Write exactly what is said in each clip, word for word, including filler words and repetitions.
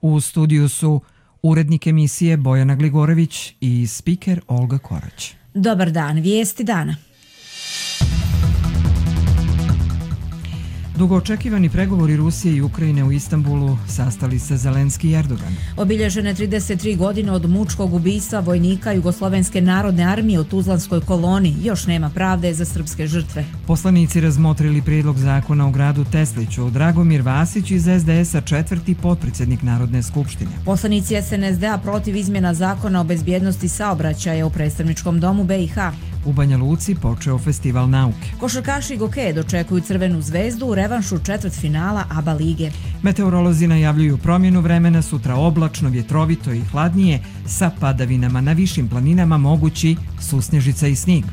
U studiju su urednik emisije Bojana Gligorević i spiker Olga Korać. Dobar dan, vijesti dana. Dugo očekivani pregovori Rusije i Ukrajine u Istanbulu sastali se Zelenski i Erdogan. Obilježene trideset tri godine od mučkog ubistva vojnika Jugoslovenske narodne armije u Tuzlanskoj koloni, još nema pravde za srpske žrtve. Poslanici razmotrili prijedlog zakona o gradu Tesliću. Dragomir Vasić iz es de esa, četvrti potpredsjednik Narodne skupštine. Poslanici es en es de a protiv izmjena zakona o bezbjednosti saobraćaja u predstavničkom domu be i ha. U Banja Luci počeo festival nauke. Košarkaši Goke dočekuju Crvenu zvezdu u revanšu četvrtfinala A B A lige. Meteorolozi najavljuju promjenu vremena, sutra oblačno, vjetrovito i hladnije, sa padavinama na višim planinama mogući susnježica i snijeg.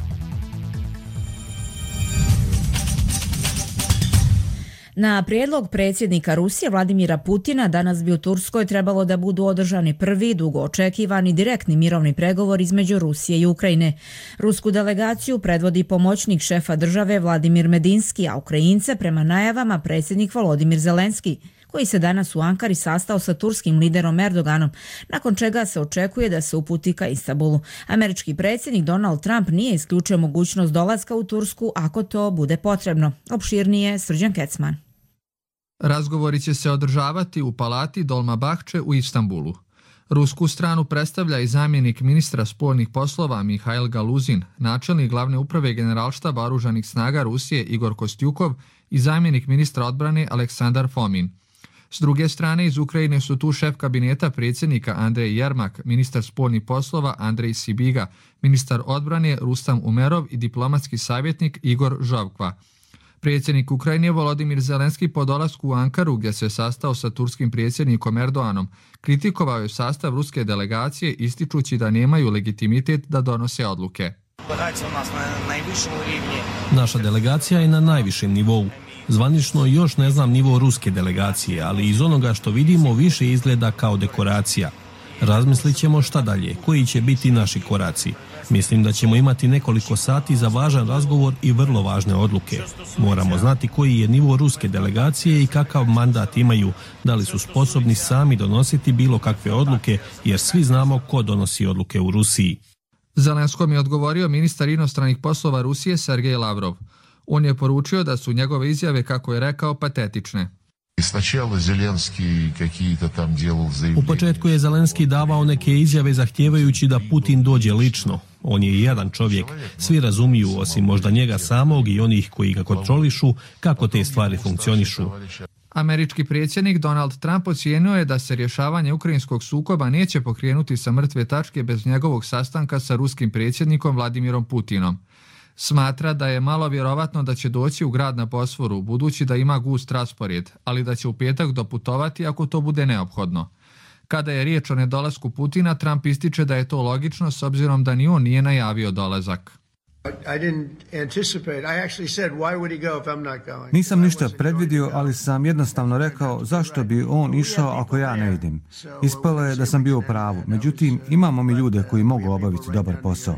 Na prijedlog predsjednika Rusije Vladimira Putina danas bi u Turskoj trebalo da budu održani prvi, dugo očekivani direktni mirovni pregovor između Rusije i Ukrajine. Rusku delegaciju predvodi pomoćnik šefa države Vladimir Medinski, a Ukrajince prema najavama predsjednik Volodimir Zelenski, koji se danas u Ankari sastao sa turskim liderom Erdoganom, nakon čega se očekuje da se uputi ka Istanbulu. Američki predsjednik Donald Trump nije isključio mogućnost dolaska u Tursku ako to bude potrebno. Opširnije Srđan Kecman. Razgovori će se održavati u palati Dolmabahče u Istanbulu. Rusku stranu predstavlja i zamjenik ministra spoljnih poslova Mihail Galuzin, načelnik glavne uprave Generalštaba oružanih snaga Rusije Igor Kostjukov i zamjenik ministra odbrane Aleksandar Fomin. S druge strane, iz Ukrajine su tu šef kabineta predsjednika Andrej Jermak, ministar spoljnih poslova Andrej Sibiga, ministar odbrane Rustam Umerov i diplomatski savjetnik Igor Žovkva. Predsjednik Ukrajine Volodimir Zelenski po dolasku u Ankaru, gdje se sastao sa turskim predsjednikom Erdoganom, kritikovao je sastav ruske delegacije ističući da nemaju legitimitet da donose odluke. Naša delegacija je na najvišem nivou. Zvanično još ne znam nivo ruske delegacije, ali iz onoga što vidimo više izgleda kao dekoracija. Razmislit ćemo šta dalje, koji će biti naši koraci. Mislim da ćemo imati nekoliko sati za važan razgovor i vrlo važne odluke. Moramo znati koji je nivo ruske delegacije i kakav mandat imaju, da li su sposobni sami donositi bilo kakve odluke, jer svi znamo ko donosi odluke u Rusiji. Zelenskom je odgovorio ministar inostranih poslova Rusije Sergej Lavrov. On je poručio da su njegove izjave, kako je rekao, patetične. U početku je Zelenski davao neke izjave zahtijevajući da Putin dođe lično. On je jedan čovjek. Svi razumiju, osim možda njega samog i onih koji ga kontrolišu, kako te stvari funkcionišu. Američki predsjednik Donald Trump ocijenio je da se rješavanje ukrajinskog sukoba neće pokrenuti sa mrtve tačke bez njegovog sastanka sa ruskim predsjednikom Vladimirom Putinom. Smatra da je malo vjerovatno da će doći u grad na Bosforu, budući da ima gust raspored, ali da će u petak doputovati ako to bude neophodno. Kada je riječ o nedolasku Putina, Trump ističe da je to logično s obzirom da ni on nije najavio dolazak. Nisam ništa predvidio, ali sam jednostavno rekao zašto bi on išao ako ja ne idem. Ispalo je da sam bio u pravu, međutim imamo mi ljude koji mogu obaviti dobar posao.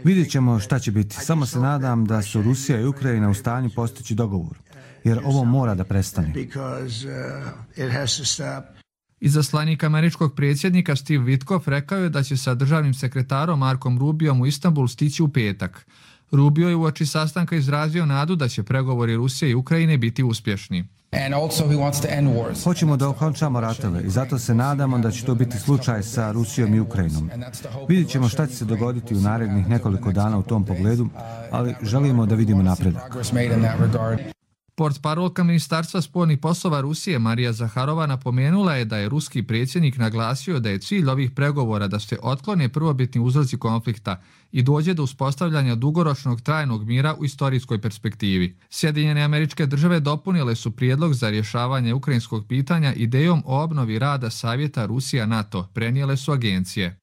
Vidjet ćemo šta će biti. Samo se nadam da su Rusija i Ukrajina u stanju postići dogovor, jer ovo mora da prestane. Izaslanik američkog predsjednika Steve Witkoff rekao je da će sa državnim sekretarom Markom Rubiom u Istanbul stići u petak. Rubio je uoči sastanka izrazio nadu da će pregovori Rusije i Ukrajine biti uspješni. Hoćemo da okončamo ratove i zato se nadamo da će to biti slučaj sa Rusijom i Ukrajinom. Vidjet ćemo šta će se dogoditi u narednih nekoliko dana u tom pogledu, ali želimo da vidimo napredak. Portparolka Ministarstva spoljnih poslova Rusije Marija Zaharova napomenula je da je ruski predsjednik naglasio da je cilj ovih pregovora da se otklone prvobitni uzroci konflikta i dođe do uspostavljanja dugoročnog trajnog mira u istorijskoj perspektivi. Sjedinjene Američke Države dopunile su prijedlog za rješavanje ukrajinskog pitanja idejom o obnovi rada Savjeta Rusija-NATO, prenijele su agencije.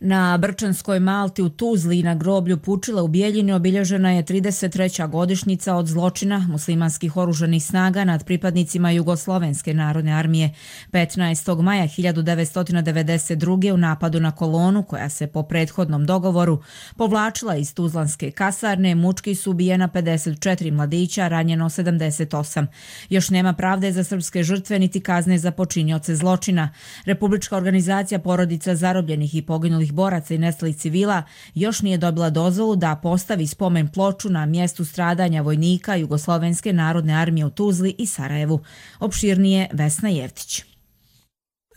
Na Brčanskoj Malti u Tuzli i na groblju Pučile u Bijeljini obilježena je trideset treća godišnjica od zločina muslimanskih oružanih snaga nad pripadnicima Jugoslovenske narodne armije. petnaestog maja hiljadu devetsto devedeset druge. u napadu na kolonu, koja se po prethodnom dogovoru povlačila iz tuzlanske kasarne, mučki su ubijena pedeset četiri mladića, ranjeno sedamdeset osam. Još nema pravde za srpske žrtve niti kazne za počinioce zločina. Republička organizacija porodica zarobljenih i poginulih boraca i nestalih civila još nije dobila dozvolu da postavi spomen ploču na mjestu stradanja vojnika Jugoslovenske narodne armije u Tuzli i Sarajevu. Opširnije Vesna Jevtić.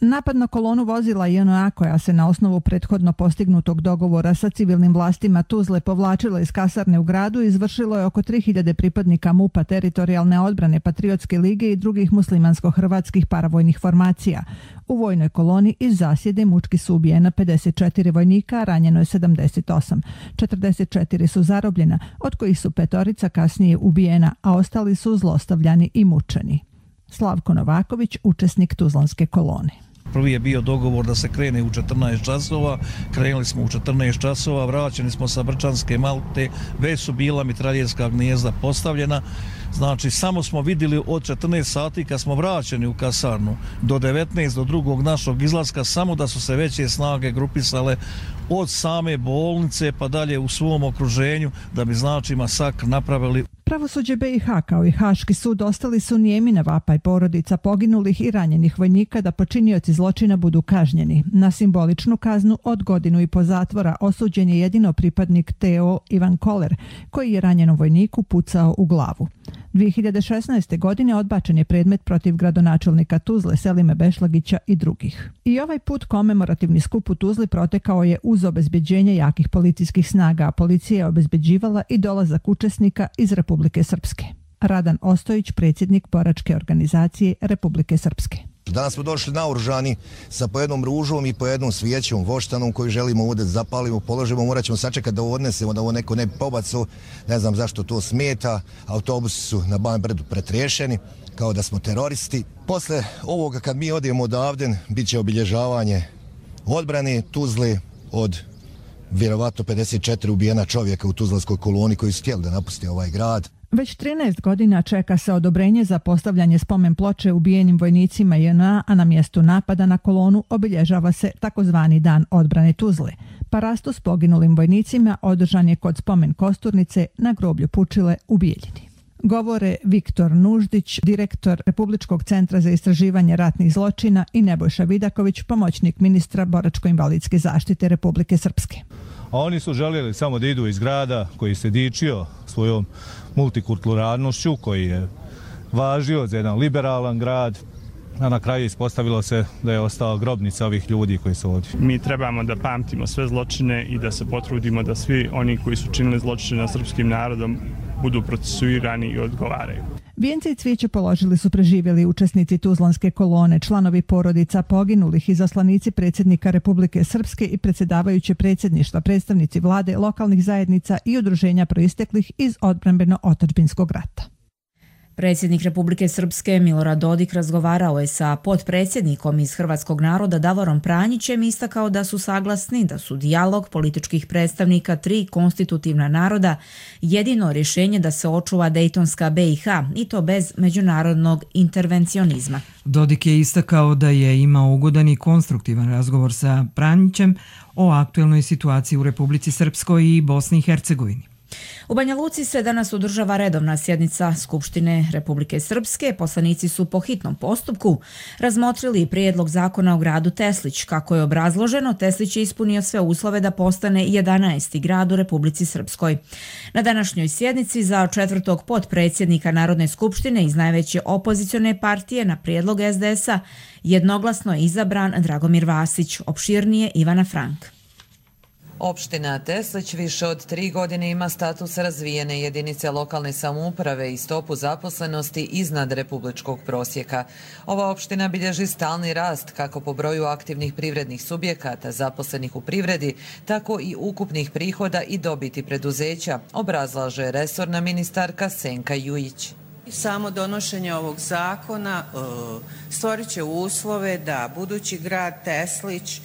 Napad na kolonu vozila J N A koja se na osnovu prethodno postignutog dogovora sa civilnim vlastima Tuzle povlačila iz kasarne u gradu izvršilo je oko tri hiljade pripadnika M U P-a, teritorijalne odbrane, Patriotske lige i drugih muslimansko-hrvatskih paravojnih formacija. U vojnoj koloni iz zasjede mučki su ubijena pedeset četiri vojnika, a ranjeno je sedamdeset osam. četrdeset četiri su zarobljena, od kojih su petorica kasnije ubijena, a ostali su zlostavljani i mučeni. Slavko Novaković, učesnik tuzlanske kolone. Prvi je bio dogovor da se krene u četrnaest časova, krenuli smo u četrnaest časova, vraćeni smo sa Brčanske Malte, već su bila mitraljerska gnijezda postavljena, znači samo smo vidjeli od četrnaest sati kad smo vraćeni u kasarnu do devetnaest do drugog našog izlaska, samo da su se veće snage grupisale od same bolnice pa dalje u svom okruženju da bi znači masakr napravili. Pravosuđe B i H kao i Haški sud ostali su nijemi na vapaj porodica poginulih i ranjenih vojnika da počinioci zločina budu kažnjeni. Na simboličnu kaznu od godinu i po zatvora osuđen je jedino pripadnik T O Ivan Koler, koji je ranjenom vojniku pucao u glavu. dvije hiljade šesnaeste. godine odbačen je predmet protiv gradonačelnika Tuzle Selime Bešlagića i drugih. I ovaj put komemorativni skup u Tuzli protekao je uz obezbeđenje jakih policijskih snaga, a policija je obezbeđivala i dolazak učesnika iz Republike Srpske. Radan Ostojić, predsjednik boračke organizacije Republike Srpske. Danas smo došli naoružani sa po jednom ružom i po jednom svijećom, voštanom koju želimo ovdje zapalimo, položimo, morat ćemo sačekati da ovo odnesemo, da ovo neko ne pobacao, ne znam zašto to smeta, autobusi su na Ban Brdu pretriješeni, kao da smo teroristi. Posle ovoga kad mi odijemo odavde, bit će obilježavanje odbrane Tuzle od vjerovatno pedeset četiri ubijena čovjeka u tuzlanskoj koloni koji su htjeli da napuste ovaj grad. Već trinaest godina čeka se odobrenje za postavljanje spomen ploče ubijenim vojnicima J N A, a na mjestu napada na kolonu obilježava se takozvani Dan odbrane Tuzle. Parastu s poginulim vojnicima održan je kod spomen kosturnice na groblju Pučile u Bijeljini. Govore Viktor Nuždić, direktor Republičkog centra za istraživanje ratnih zločina, i Nebojša Vidaković, pomoćnik ministra boračko-invalidske zaštite Republike Srpske. A oni su željeli samo da idu iz grada koji se dičio svojom multikulturalnošću, koji je važio za jedan liberalan grad, a na kraju ispostavilo se da je ostala grobnica ovih ljudi koji su ovdje. Mi trebamo da pamtimo sve zločine i da se potrudimo da svi oni koji su činili zločine nad srpskim narodom budu procesuirani i odgovaraju. Vijence i cvijeće položili su preživjeli učesnici tuzlanske kolone, članovi porodica poginulih, izaslanici predsjednika Republike Srpske i predsjedavajuće predsjedništva, predstavnici vlade, lokalnih zajednica i udruženja proisteklih iz odbrambeno-otadžbinskog rata. Predsjednik Republike Srpske Milorad Dodik razgovarao je sa potpredsjednikom iz Hrvatskog naroda Davorom Pranjićem i istakao da su saglasni da su dijalog političkih predstavnika tri konstitutivna naroda jedino rješenje da se očuva Dejtonska B i H, i to bez međunarodnog intervencionizma. Dodik je istakao da je imao ugodan i konstruktivan razgovor sa Pranjićem o aktuelnoj situaciji u Republici Srpskoj i Bosni i Hercegovini. U Banja Luci se danas održava redovna sjednica Skupštine Republike Srpske. Poslanici su po hitnom postupku razmotrili prijedlog zakona o gradu Teslić. Kako je obrazloženo, Teslić je ispunio sve uslove da postane jedanaesti grad u Republici Srpskoj. Na današnjoj sjednici za četvrtog potpredsjednika Narodne skupštine iz najveće opozicione partije na prijedlog S D S-a jednoglasno je izabran Dragomir Vasić. Opširnije Ivana Frank. Opština Teslić više od tri godine ima status razvijene jedinice lokalne samouprave i stopu zaposlenosti iznad republičkog prosjeka. Ova opština bilježi stalni rast kako po broju aktivnih privrednih subjekata zaposlenih u privredi, tako i ukupnih prihoda i dobiti preduzeća, obrazlaže resorna ministarka Senka Jujić. Samo donošenje ovog zakona stvorit će uslove da budući grad Teslić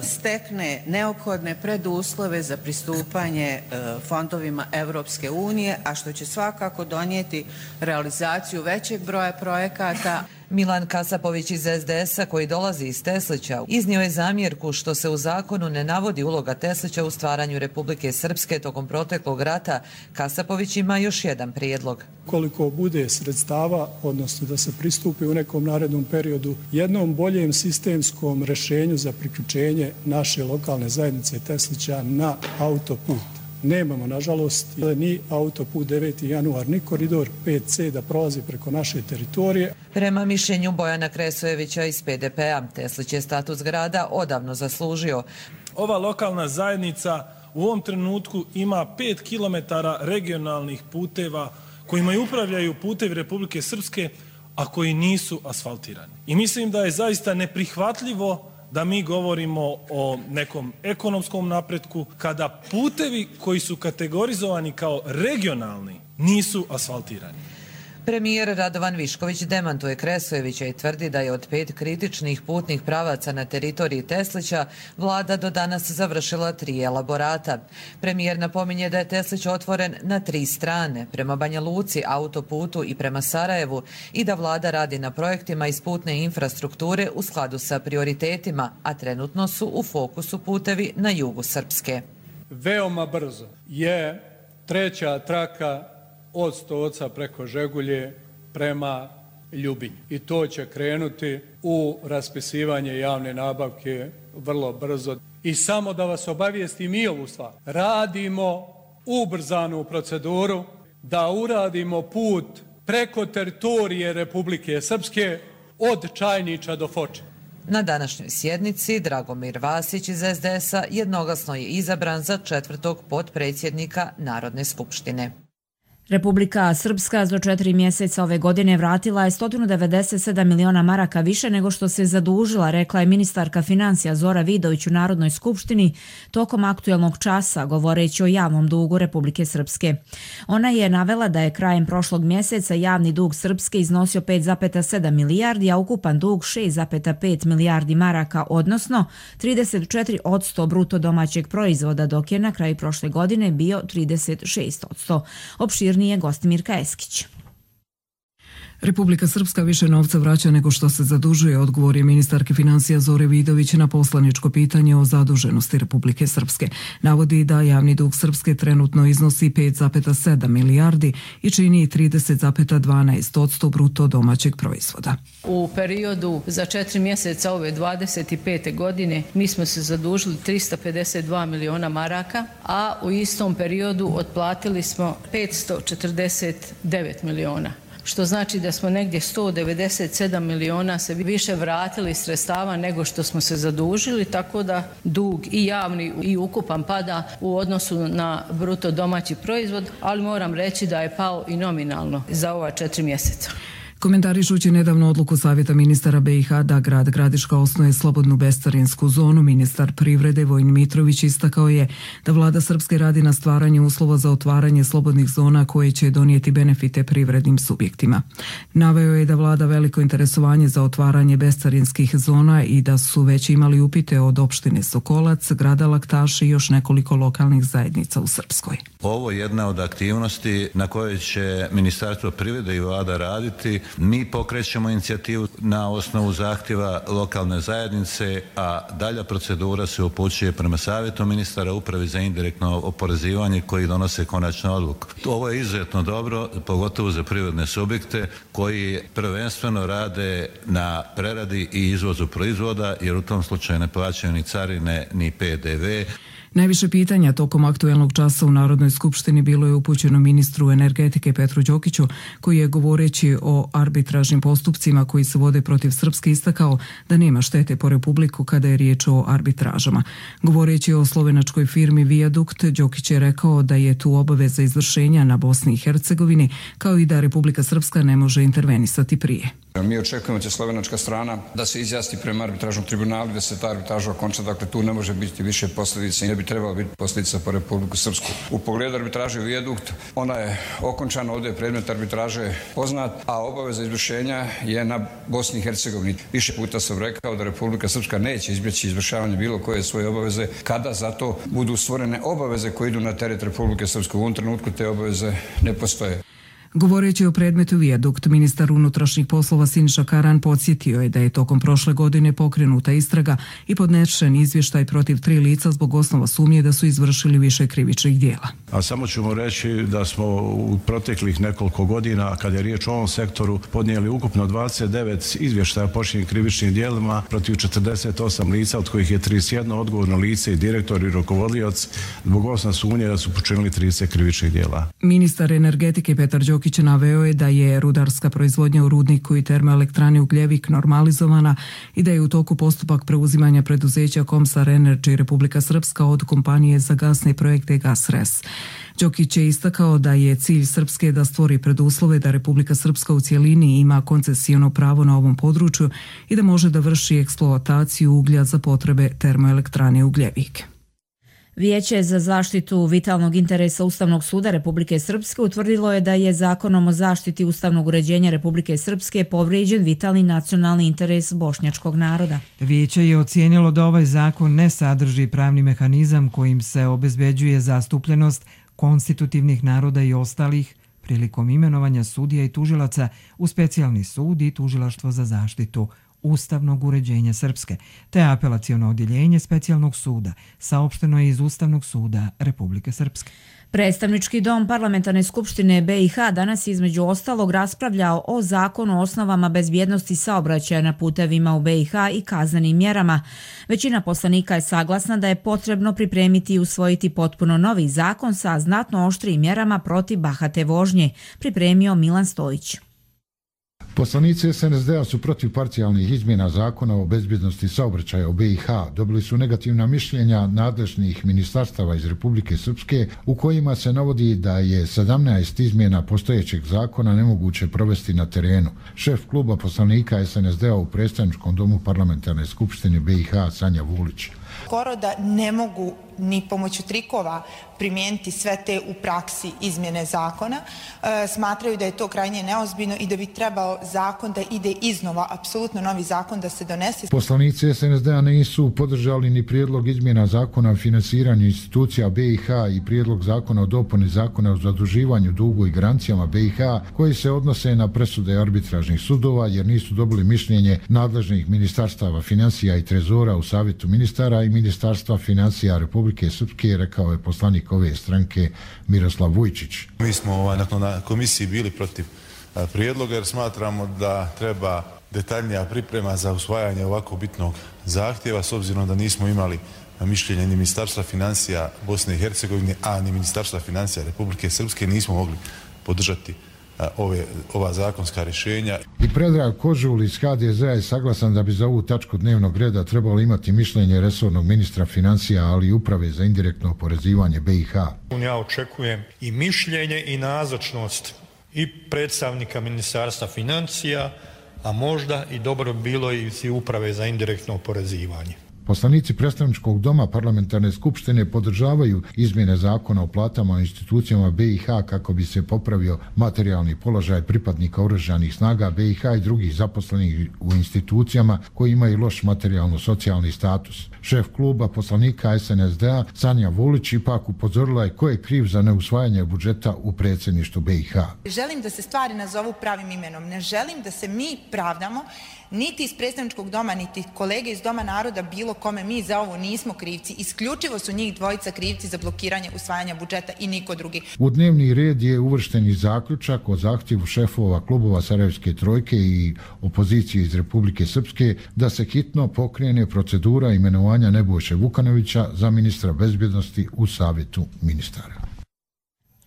stekne neophodne preduslove za pristupanje fondovima Evropske unije, a što će svakako donijeti realizaciju većeg broja projekata. Milan Kasapović iz es de es a, koji dolazi iz Teslića, iznio je zamjerku što se u zakonu ne navodi uloga Teslića u stvaranju Republike Srpske tokom proteklog rata. Kasapović ima još jedan prijedlog. Koliko bude sredstava, odnosno da se pristupi u nekom narednom periodu jednom boljem sistemskom rješenju za priključenje naše lokalne zajednice Teslića na autoput. Nemamo, nažalost, ni autoput deveti januar, ni koridor pet ce da prolazi preko naše teritorije. Prema mišljenju Bojana Kresojevića iz pe de pe a, Teslić je status grada odavno zaslužio. Ova lokalna zajednica u ovom trenutku ima pet kilometara regionalnih puteva kojima upravljaju putevi Republike Srpske, a koji nisu asfaltirani. I mislim da je zaista neprihvatljivo da mi govorimo o nekom ekonomskom napretku kada putevi koji su kategorizovani kao regionalni nisu asfaltirani. Premijer Radovan Višković demantuje Kresojevića i tvrdi da je od pet kritičnih putnih pravaca na teritoriji Teslića vlada do danas završila tri elaborata. Premijer napominje da je Teslić otvoren na tri strane, prema Banja Luci, autoputu i prema Sarajevu, i da vlada radi na projektima iz putne infrastrukture u skladu sa prioritetima, a trenutno su u fokusu putevi na jugu Srpske. Veoma brzo je treća traka od Stoca preko Žegulje prema Ljubinju. I to će krenuti u raspisivanje javne nabavke vrlo brzo. I samo da vas obavijestim i ovu stvar. Radimo ubrzanu proceduru da uradimo put preko teritorije Republike Srpske od Čajnića do Foče. Na današnjoj sjednici Dragomir Vasić iz es de es a jednoglasno je izabran za četvrtog potpredsjednika Narodne skupštine. Republika Srpska za četiri mjeseca ove godine vratila je sto devedeset sedam miliona maraka više nego što se zadužila, rekla je ministarka financija Zora Vidović u Narodnoj skupštini tokom aktuelnog časa, govoreći o javnom dugu Republike Srpske. Ona je navela da je krajem prošlog mjeseca javni dug Srpske iznosio pet zarez sedam milijardi, a ukupan dug šest zarez pet milijardi maraka, odnosno trideset četiri posto bruto domaćeg proizvoda, dok je na kraju prošle godine bio trideset šest posto. Opšir nije Gostimirka Eskić. Republika Srpska više novca vraća nego što se zadužuje, odgovor je ministarke financija Zore Vidović na poslaničko pitanje o zaduženosti Republike Srpske. Navodi da javni dug Srpske trenutno iznosi pet zarez sedam milijardi i čini trideset zarez dvanaest posto bruto domaćeg proizvoda. U periodu za četiri mjeseca ove dvadeset pete godine mi smo se zadužili trista pedeset dva miliona maraka, a u istom periodu otplatili smo petsto četrdeset devet miliona. Što znači da smo negdje sto devedeset sedam miliona se više vratili sredstava nego što smo se zadužili, tako da dug i javni i ukupan pada u odnosu na bruto domaći proizvod, ali moram reći da je pao i nominalno za ova četiri mjeseca. Komentarišući nedavno odluku Savjeta ministara be i ha da grad Gradiška osnuje slobodnu bescarinsku zonu, ministar privrede Vojin Mitrović istakao je da vlada Srpske radi na stvaranju uslova za otvaranje slobodnih zona koje će donijeti benefite privrednim subjektima. Naveo je da vlada veliko interesovanje za otvaranje bescarinskih zona i da su već imali upite od opštine Sokolac, grada Laktaša i još nekoliko lokalnih zajednica u Srpskoj. Ovo je jedna od aktivnosti na kojoj će Ministarstvo privrede i vlada raditi. Mi pokrećemo inicijativu na osnovu zahtjeva lokalne zajednice, a dalja procedura se upućuje prema Savjetu ministara Upravi za indirektno oporezivanje koji donose konačnu odluku. Ovo je izuzetno dobro, pogotovo za privredne subjekte koji prvenstveno rade na preradi i izvozu proizvoda, jer u tom slučaju ne plaćaju ni carine ni pe de ve. Najviše pitanja tokom aktuelnog časa u Narodnoj skupštini bilo je upućeno ministru energetike Petru Đokiću, koji je govoreći o arbitražnim postupcima koji se vode protiv Srpske istakao da nema štete po Republiku kada je riječ o arbitražama. Govoreći o slovenačkoj firmi Viadukt, Đokić je rekao da je tu obaveza izvršenja na Bosni i Hercegovini, kao i da Republika Srpska ne može intervenisati prije. Mi očekujemo će slovenačka strana da se izjasni prema arbitražnom tribunalu, da se ta arbitraža okonča, dakle tu ne može biti više posljedica i ne bi trebalo biti posljedica po Republiku Srpsku. U pogledu arbitraže vijadukt, ona je okončana, ovdje je predmet arbitraže poznat, a obaveza izvršenja je na Bosni i Hercegovini. Više puta sam rekao da Republika Srpska neće izbjeći izvršavanje bilo koje svoje obaveze kada zato budu stvorene obaveze koje idu na teret Republike Srpske. U ovom trenutku te obaveze ne postoje. Govoreći o predmetu vijadukt, ministar unutrašnjih poslova Siniša Karan podsjetio je da je tokom prošle godine pokrenuta istraga i podnešen izvještaj protiv tri lica zbog osnova sumnje da su izvršili više krivičnih dijela. A samo ćemo reći da smo u proteklih nekoliko godina, kada je riječ o ovom sektoru, podnijeli ukupno dvadeset devet izvještaja počinjenih krivičnim dijelima protiv četrdeset osam lica, od kojih je trideset jedno odgovorno lice i direktor i rukovodioc zbog osnova sumnje da su počinili trideset krivičnih dijela. Ministar energetike Petar Đokić naveo je da je rudarska proizvodnja u rudniku i termoelektrani Ugljevik normalizovana i da je u toku postupak preuzimanja preduzeća Komsar Energy Republika Srpska od kompanije za gasne projekte Gasres. Đokić je istakao da je cilj Srpske da stvori preduslove da Republika Srpska u cijelini ima koncesijono pravo na ovom području i da može da vrši eksploataciju uglja za potrebe termoelektrane Ugljevik. Vijeće za zaštitu vitalnog interesa Ustavnog suda Republike Srpske utvrdilo je da je Zakonom o zaštiti ustavnog uređenja Republike Srpske povrijeđen vitalni nacionalni interes bošnjačkog naroda. Vijeće je ocijenilo da ovaj zakon ne sadrži pravni mehanizam kojim se obezbeđuje zastupljenost konstitutivnih naroda i ostalih prilikom imenovanja sudija i tužilaca u specijalni sud i tužilaštvo za zaštitu ustavnog uređenja Srpske, te apelaciono odjeljenje specijalnog suda, saopšteno je iz Ustavnog suda Republike Srpske. Predstavnički dom Parlamentarne skupštine B i H danas između ostalog raspravljao o zakonu o osnovama bezbjednosti saobraćaja na putevima u B i H i kaznenim mjerama. Većina poslanika je saglasna da je potrebno pripremiti i usvojiti potpuno novi zakon sa znatno oštrijim mjerama protiv bahate vožnje, pripremio Milan Stojić. Poslanici S N S D-a su protiv parcijalnih izmjena zakona o bezbjednosti saobraćaja u B i H. Dobili su negativna mišljenja nadležnih ministarstava iz Republike Srpske u kojima se navodi da je sedamnaest izmjena postojećeg zakona nemoguće provesti na terenu. Šef kluba poslanika S N S D-a u predstavničkom domu Parlamentarne skupštine B i H Sanja Vulić. Skoro da ne mogu ni pomoću trikova primijeniti sve te u praksi izmjene zakona. E, smatraju da je to krajnje neozbiljno i da bi trebao zakon da ide iznova, apsolutno novi zakon da se donese. Poslanici S N S D-a nisu podržali ni prijedlog izmjena zakona o finansiranju institucija B i H i prijedlog zakona o dopuni zakona o zaduživanju dugu i garancijama B i H koji se odnose na presude arbitražnih sudova jer nisu dobili mišljenje nadležnih ministarstava financija i trezora u savjetu ministara i ministarstva financija Republike Srpske, rekao je poslanik ove stranke Miroslav Vujčić. Mi smo ovaj, na komisiji bili protiv a, prijedloga jer smatramo da treba detaljnija priprema za usvajanje ovako bitnog zahtjeva s obzirom da nismo imali mišljenje ni ministarstva financija Bosne i Hercegovine, a ni ministarstva financija Republike Srpske, nismo mogli podržati Ove, ova zakonska rješenja. I Predrag Kožul iz H D Z-a je saglasan da bi za ovu tačku dnevnog reda trebalo imati mišljenje resornog ministra financija, ali i uprave za indirektno oporezivanje B i H. Ja očekujem i mišljenje i nazočnost i predstavnika ministarstva financija, a možda i dobro bilo i uprave za indirektno oporezivanje. Poslanici predstavničkog doma Parlamentarne skupštine podržavaju izmjene zakona o platama u institucijama B i H kako bi se popravio materijalni položaj pripadnika oružanih snaga B i H i drugih zaposlenih u institucijama koji imaju loš materijalno-socijalni status. Šef kluba poslanika S N S D-a Sanja Vulić ipak upozorila je ko je kriv za neusvajanje budžeta u predsjedništvu B i H. Želim da se stvari nazovu pravim imenom. Ne želim da se mi pravdamo niti iz predstavničkog doma, niti kolege iz Doma naroda, bilo kome, mi za ovo nismo krivci. Isključivo su njih dvojica krivci za blokiranje usvajanja budžeta i niko drugi. U dnevni red je uvršten i zaključak o zahtjevu šefova klubova Sarajevske trojke i opozicije iz Republike Srpske da se hitno pokrene procedura imenovanja Nebojše Vukanovića za ministra bezbjednosti u savjetu ministara.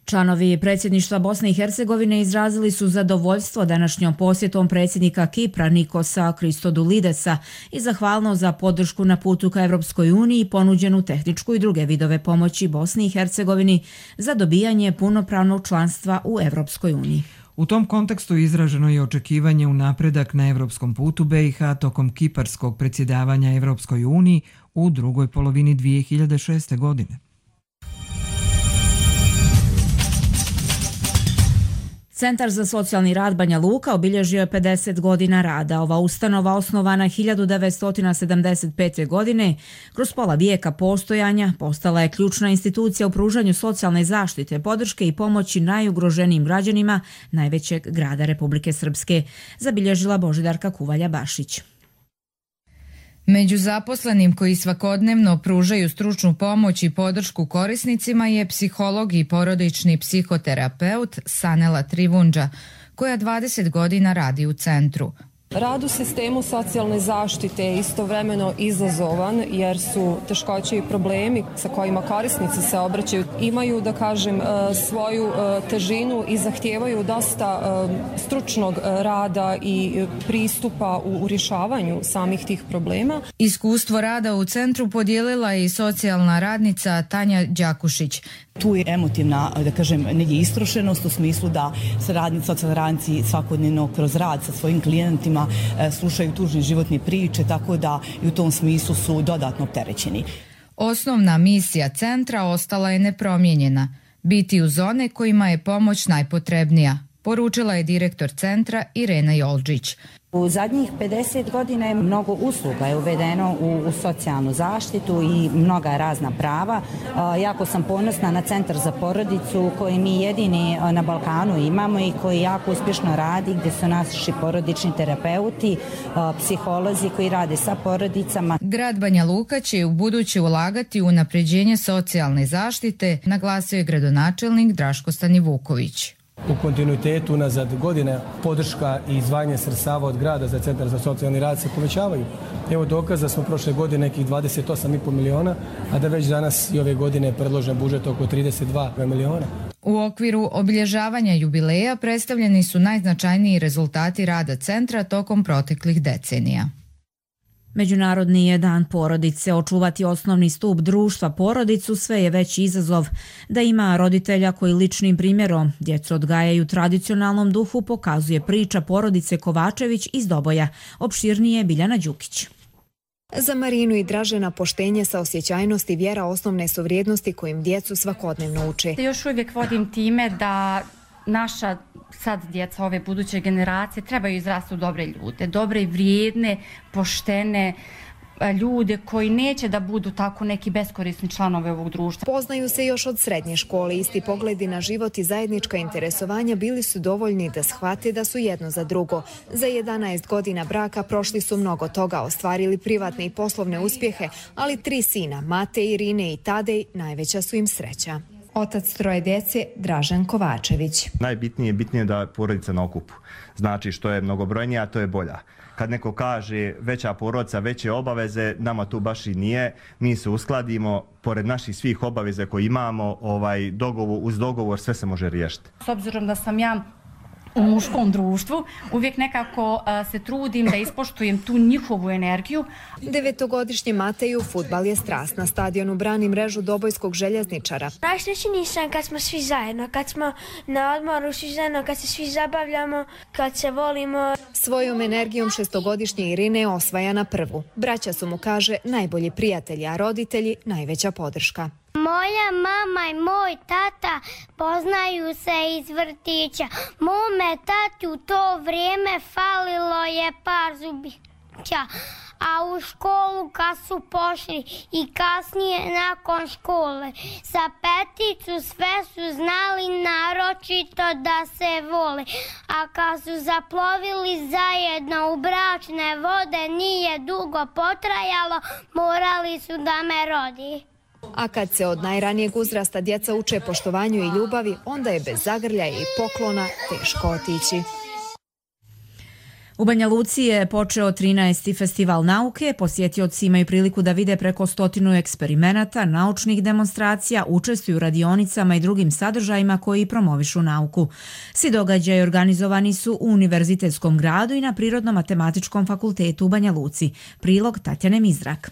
Članovi predsjedništva Bosne i Hercegovine izrazili su zadovoljstvo današnjom posjetom predsjednika Kipra Nikosa Kristodulidesa i zahvalnost za podršku na putu ka Evropskoj uniji i ponuđenu tehničku i druge vidove pomoći Bosni i Hercegovini za dobijanje punopravnog članstva u Evropskoj uniji. U tom kontekstu izraženo je očekivanje u napredak na evropskom putu B i H tokom kiparskog predsjedavanja Evropskoj uniji u drugoj polovini dvije hiljade šeste. godine. Centar za socijalni rad Banja Luka obilježio je pedeset godina rada. Ova ustanova, osnovana hiljadu devetsto sedamdeset pete. godine, kroz pola vijeka postojanja, postala je ključna institucija u pružanju socijalne zaštite, podrške i pomoći najugroženijim građanima najvećeg grada Republike Srpske, zabilježila Božidarka Kuvalja-Bašić. Među zaposlenim koji svakodnevno pružaju stručnu pomoć i podršku korisnicima je psiholog i porodični psihoterapeut Sanela Trivundža, koja dvadeset godina radi u centru. Rad u sistemu socijalne zaštite je istovremeno izazovan jer su teškoće i problemi sa kojima korisnici se obraćaju imaju, da kažem, svoju težinu i zahtijevaju dosta stručnog rada i pristupa u rješavanju samih tih problema. Iskustvo rada u centru podijelila je i socijalna radnica Tanja Đakušić. Tu je emotivna, da kažem, negdje istrošenost u smislu da se radnici, socijalni radnici svakodnevno kroz rad sa svojim klijentima slušaju tužne životne priče, tako da i u tom smislu su dodatno opterećeni. Osnovna misija centra ostala je nepromijenjena, biti uz one kojima je pomoć najpotrebnija, poručila je direktor centra Irena Jolđić. U zadnjih pedeset godina je mnogo usluga je uvedeno u, u socijalnu zaštitu i mnoga razna prava. E, jako sam ponosna na Centar za porodicu koji mi jedini na Balkanu imamo i koji jako uspješno radi, gdje su naši porodični terapeuti, e, psiholozi koji rade sa porodicama. Grad Banja Luka će u buduće ulagati u unapređenje socijalne zaštite, naglasio je gradonačelnik Draško Stanivuković. U kontinuitetu unazad godine podrška i izdvajanje sredstava od grada za Centar za socijalni rad se povećavaju. Evo dokaz da smo prošle godine nekih dvadeset osam i pol miliona, a da već danas i ove godine je predložen budžet oko trideset dva miliona. U okviru obilježavanja jubileja predstavljeni su najznačajniji rezultati rada centra tokom proteklih decenija. Međunarodni je dan porodice. Očuvati osnovni stup društva, porodicu, sve je veći izazov. Da ima roditelja koji ličnim primjerom djecu odgajaju tradicionalnom duhu, pokazuje priča porodice Kovačević iz Doboja. Opširnije Biljana Đukić. Za Marinu i Dražena poštenje, saosjećajnost i vjera osnovne su vrijednosti kojim djecu svakodnevno uče. Još uvijek vodim time da naša sad djeca, ove buduće generacije, trebaju izrasti u dobre ljude, dobre i vrijedne, poštene ljude koji neće da budu tako neki beskorisni članovi ovog društva. Poznaju se još od srednje škole, isti pogledi na život i zajednička interesovanja bili su dovoljni da shvate da su jedno za drugo. Za jedanaest godina braka prošli su mnogo toga, ostvarili privatne i poslovne uspjehe, ali tri sina, Mate, Irine i Tadej, najveća su im sreća. Otac troje djece, Dražen Kovačević. Najbitnije je bitnije da je porodica na okupu. Znači što je mnogobrojnija, to je bolja. Kad neko kaže veća porodica, veće obaveze, nama tu baš i nije. Mi se uskladimo, pored naših svih obaveze koje imamo, ovaj, dogovor, uz dogovor sve se može riješiti. S obzirom da sam ja u muškom društvu, uvijek nekako uh, se trudim da ispoštujem tu njihovu energiju. Devetogodišnji Mateju fudbal je strast. Na stadionu brani mrežu dobojskog željezničara. Najsrećniji sam kad smo svi zajedno, kad smo na odmoru svi zajedno, kad se svi zabavljamo, kad se volimo. Svojom energijom šestogodišnje Irine osvaja na prvu. Braća su mu, kaže, najbolji prijatelji, a roditelji najveća podrška. Moja mama i moj tata poznaju se iz vrtića. Mome tati u to vrijeme falilo je par zubića, a u školu kad su pošli i kasnije nakon škole za peticu sve su znali naročito da se vole, a kad su zaplovili zajedno u bračne vode nije dugo potrajalo, morali su da me rodi. A kad se od najranijeg uzrasta djeca uče poštovanju i ljubavi, onda je bez zagrljaja i poklona teško otići. U Banja Luci je počeo trinaesti festival nauke. Posjetioci imaju priliku da vide preko stotinu eksperimenata, naučnih demonstracija, učestvuju u radionicama i drugim sadržajima koji promovišu nauku. Svi događaji organizovani su u Univerzitetskom gradu i na Prirodno-matematičkom fakultetu u Banja Luci. Prilog Tatjane Mizrak.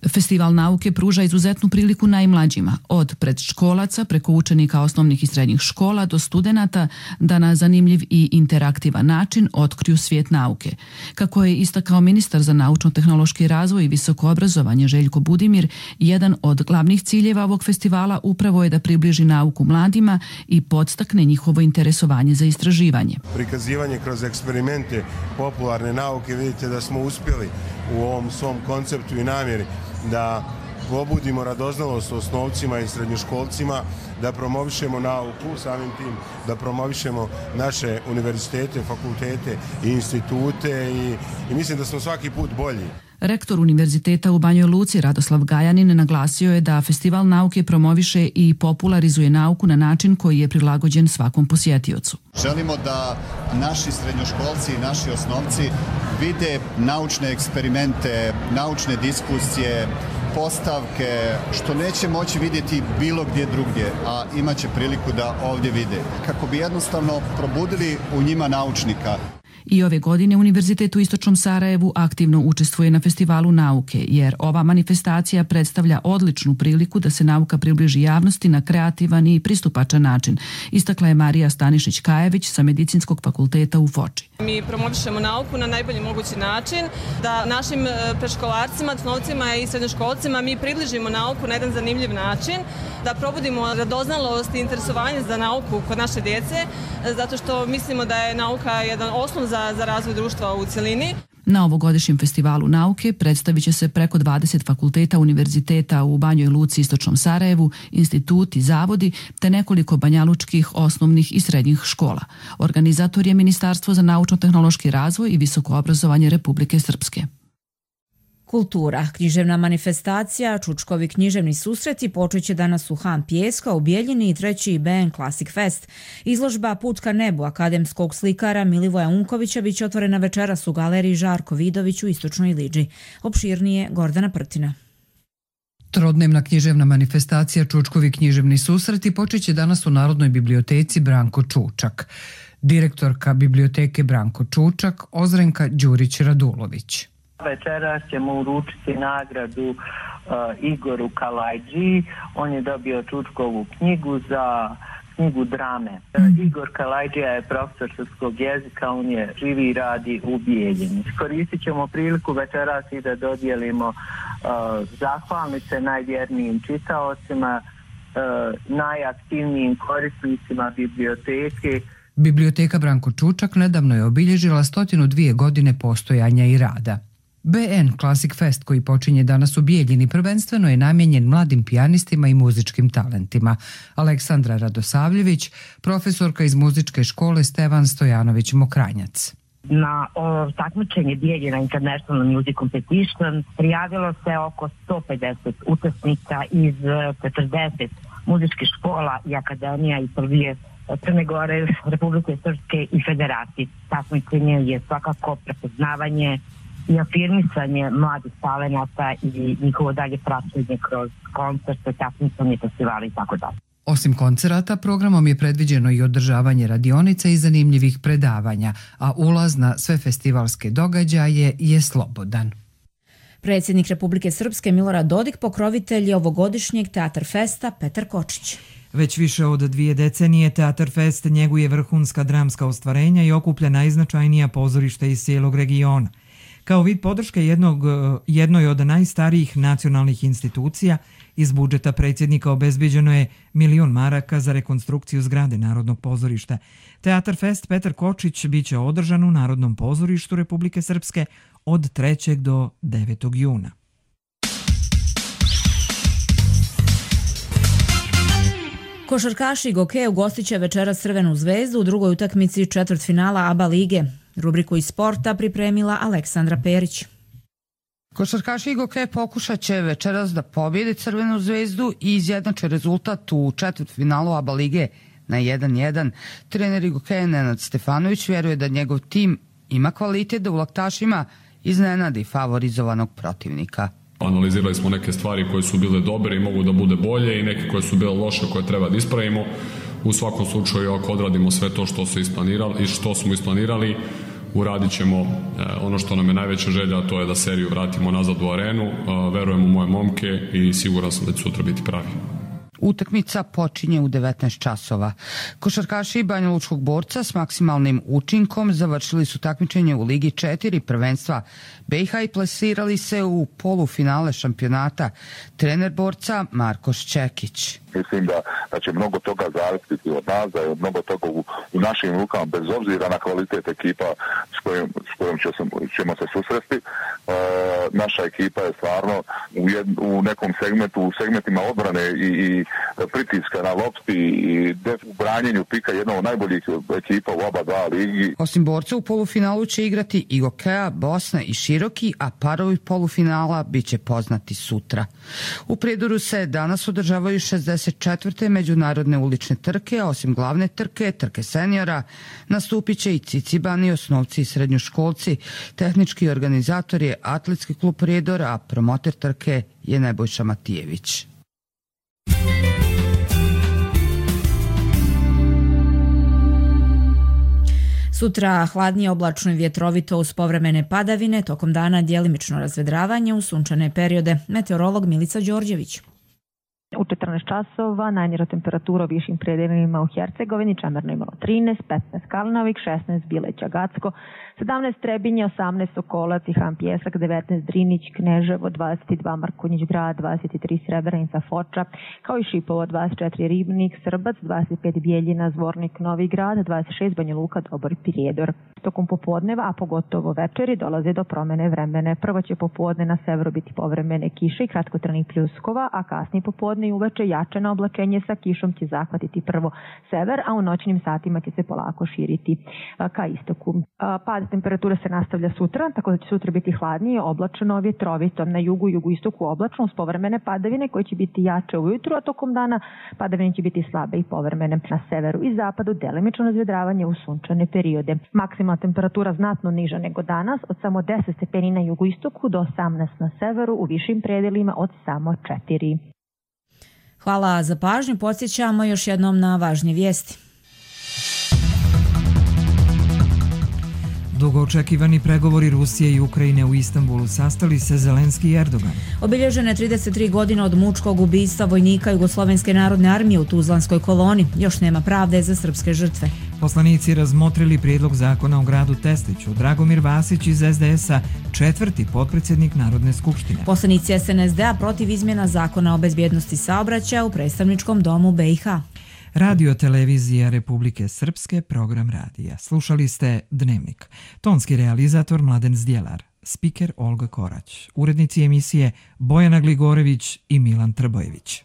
Festival nauke pruža izuzetnu priliku najmlađima, od predškolaca preko učenika osnovnih i srednjih škola do studenata, da na zanimljiv i interaktivan način otkriju svijet nauke. Kako je istakao ministar za naučno-tehnološki razvoj i visoko obrazovanje Željko Budimir, jedan od glavnih ciljeva ovog festivala upravo je da približi nauku mladima i podstakne njihovo interesovanje za istraživanje. Prikazivanje kroz eksperimente popularne nauke, vidite da smo uspjeli u ovom svom konceptu i namjeri da pobudimo radoznalost osnovcima i srednjoškolcima, da promovišemo nauku, samim tim da promovišemo naše univerzitete, fakultete i institute i, i mislim da smo svaki put bolji. Rektor Univerziteta u Banjoj Luci Radoslav Gajanin naglasio je da Festival nauke promoviše i popularizuje nauku na način koji je prilagođen svakom posjetiocu. Želimo da naši srednjoškolci i naši osnovci vide naučne eksperimente, naučne diskusije, postavke, što neće moći vidjeti bilo gdje drugdje, a imat će priliku da ovdje vide. Kako bi jednostavno probudili u njima naučnika. I ove godine Univerzitet u Istočnom Sarajevu aktivno učestvuje na Festivalu nauke, jer ova manifestacija predstavlja odličnu priliku da se nauka približi javnosti na kreativan i pristupačan način, istakla je Marija Stanišić-Kajević sa Medicinskog fakulteta u Foči. Mi promovišemo nauku na najbolji mogući način, da našim predškolarcima, osnovcima i srednjoškolcima mi približimo nauku na jedan zanimljiv način, da probudimo radoznalost i interesovanje za nauku kod naše djece, zato što mislimo da je nauka jedan osnov za, za razvoj društva u cjelini. Na ovogodišnjem festivalu nauke predstavit će se preko dvadeset fakulteta univerziteta u Banjoj Luci i Istočnom Sarajevu, instituti, zavodi te nekoliko banjalučkih osnovnih i srednjih škola. Organizator je Ministarstvo za naučno-tehnološki razvoj i visoko obrazovanje Republike Srpske. Kultura. Književna manifestacija, Čučkovi književni susreti počet će danas u Han Pijeska u Bijeljini i treći B N Classic Fest. Izložba Put ka nebu akademskog slikara Milivoja Unkovića biće otvorena večeras u galeriji Žarko Vidović u Istočnoj Liđi. Opširnije Gordana Prtina. Trodnevna književna manifestacija Čučkovi književni susreti počet će danas u Narodnoj biblioteci Branko Čučak. Direktorka biblioteke Branko Čučak, Ozrenka Đurić-Radulović. Večeras ćemo uručiti nagradu uh, Igoru Kalajđiji. On je dobio Čučkovu knjigu za knjigu drame. Uh, Igor Kalajđija je profesor srpskog jezika, on je živi i radi u Bijeljini. Koristit ćemo priliku večeras i da dodijelimo uh, zahvalnice najvjernijim čitaocima, uh, najaktivnijim korisnicima biblioteke. Biblioteka Branko Čučak nedavno je obilježila stotinu dvije godine postojanja i rada. B N Classic Fest koji počinje danas u Bijeljini prvenstveno je namijenjen mladim pijanistima i muzičkim talentima. Aleksandra Radosavljević, profesorka iz muzičke škole Stevan Stojanović Mokranjac. Na o, takmičenje Bijeljina International Music Competition prijavilo se oko sto pedeset učesnika iz četrdeset muzičkih škola i akademija iz Srbije, Crne Gore, Republike Srpske i Federacije. Takmičenje je svakako prepoznavanje i afirmisanje mladih talenata i njihovo dalje praćenje kroz koncerte, takmičenje, festivali i tako dalje. Osim koncerata, programom je predviđeno i održavanje radionica i zanimljivih predavanja, a ulaz na sve festivalske događaje je slobodan. Predsjednik Republike Srpske Milorad Dodik pokrovitelj je ovogodišnjeg Teatar Festa Petar Kočić. Već više od dvije decenije Teatar Fest njeguje vrhunska dramska ostvarenja i okuplja najznačajnija pozorišta iz cijelog regiona. Kao vid podrške jednog, jednoj od najstarijih nacionalnih institucija, iz budžeta predsjednika obezbeđeno je milion maraka za rekonstrukciju zgrade Narodnog pozorišta. Teatar Fest Petar Kočić biće održan u Narodnom pozorištu Republike Srpske od trećeg do devetog juna. Košarkaši Goke ugostit će večeras Crvenu zvezdu u drugoj utakmici četvrtfinala A B A lige. Rubriku iz sporta pripremila Aleksandra Perić. Košarkaši Goke pokušat će večeras da pobjede Crvenu zvezdu i izjednače rezultat u četvrtfinalu A B A lige na jedan jedan. Trener Goke Nenad Stefanović vjeruje da njegov tim ima kvalitet da u laktašima iznenadi favorizovanog protivnika. Analizirali smo neke stvari koje su bile dobre i mogu da bude bolje i neke koje su bile loše koje treba da ispravimo. U svakom slučaju ako odradimo sve to što, su isplanirali, i što smo isplanirali, uradit ćemo ono što nam je najveća želja, a to je da seriju vratimo nazad u arenu. Verujem u moje momke i siguran sam da će sutra biti pravi. Utakmica počinje u devetnaest časova. Košarkaši Banjalučkog Borca s maksimalnim učinkom završili su takmičenje u Ligi četiri prvenstva B i H i plasirali se u polufinale šampionata. Trener Borca Marko Šćekić. Mislim da, da će mnogo toga zavisiti od nas, da je mnogo toga u, u našim rukama, bez obzira na kvalitet ekipa s kojom, s kojom će se, ćemo se susresti. E, naša ekipa je stvarno u, jed, u nekom segmentu, u segmentima odbrane i, i pritiska na lopti i u branjenju pika jedna od najboljih ekipa u oba dva ligi. Osim Borca u polufinalu će igrati i Gokeja, Bosna i Široki, a parovi polufinala bit će poznati sutra. U Prijedoru se danas održavaju šezdeset četvrte međunarodne ulične trke, a osim glavne trke, trke seniora, nastupit će i cicibani, osnovci i srednjoškolci. Tehnički organizator je Atletski klub Prijedor, a promoter trke je Nebojša Matijević. Sutra hladnije, oblačno i vjetrovito uz povremene padavine, tokom dana djelimično razvedravanje u sunčane periode. Meteorolog Milica Đorđević. U četrnaest časova najniža temperatura u višim predelima u Hercegovini, Čemerno imalo trinaest, petnaest Kalnovik, šesnaest Bileća Gacko, sedamnaest Trebinje, osamnaest Sokolac i Han Pjesak, devetnaest Drinić, Kneževo, dvadeset dva Markonjić Grad, dvadeset tri Srebrenica, Foča, kao i Šipovo, dvadeset četiri Ribnik, Srbac, dvadeset pet Bijeljina, Zvornik, Novi Grad, dvadeset šest Banja Luka, Dobor, Prijedor. Tokom popodneva, a pogotovo večeri, dolazi do promene vremena. Prvo će popodne na severu biti povremene kiše i kratkotrajnih pljuskova, a kasnije popodne i uveče jačeno oblačenje sa kišom će zahvatiti prvo sever, a u noćnim satima će se polako širiti ka istoku. Pad temperature se nastavlja sutra, tako da će sutra biti hladnije, oblačno, vjetrovito. Na jugu i jugoistoku oblačno uz povremene padavine koje će biti jače ujutru, a tokom dana padavine će biti slabe i povremene. Na severu i zapadu delimično razvedravanje u sunčane periode. Maksimalna temperatura znatno niža nego danas, od samo deset stepeni na jugoistoku do osamnaest na severu, u višim predelima od samo četiri. Hvala za pažnju. Podsjećamo još jednom na važnije vijesti. Dugo očekivani pregovori Rusije i Ukrajine u Istanbulu sastali se Zelenski i Erdogan. Obilježene trideset tri godine od mučkog ubistva vojnika Jugoslovenske narodne armije u Tuzlanskoj koloni. Još nema pravde za srpske žrtve. Poslanici razmotrili prijedlog zakona o gradu Tesliću. Dragomir Vasić iz es de es a, četvrti potpredsjednik Narodne skupštine. Poslanici es en es de a protiv izmjena zakona o bezbjednosti saobraćaja u predstavničkom domu be i ha. Radio televizija Republike Srpske, program radija. Slušali ste Dnevnik. Tonski realizator Mladen Zdjelar, spiker Olga Korać, urednici emisije Bojana Gligorević i Milan Trbojević.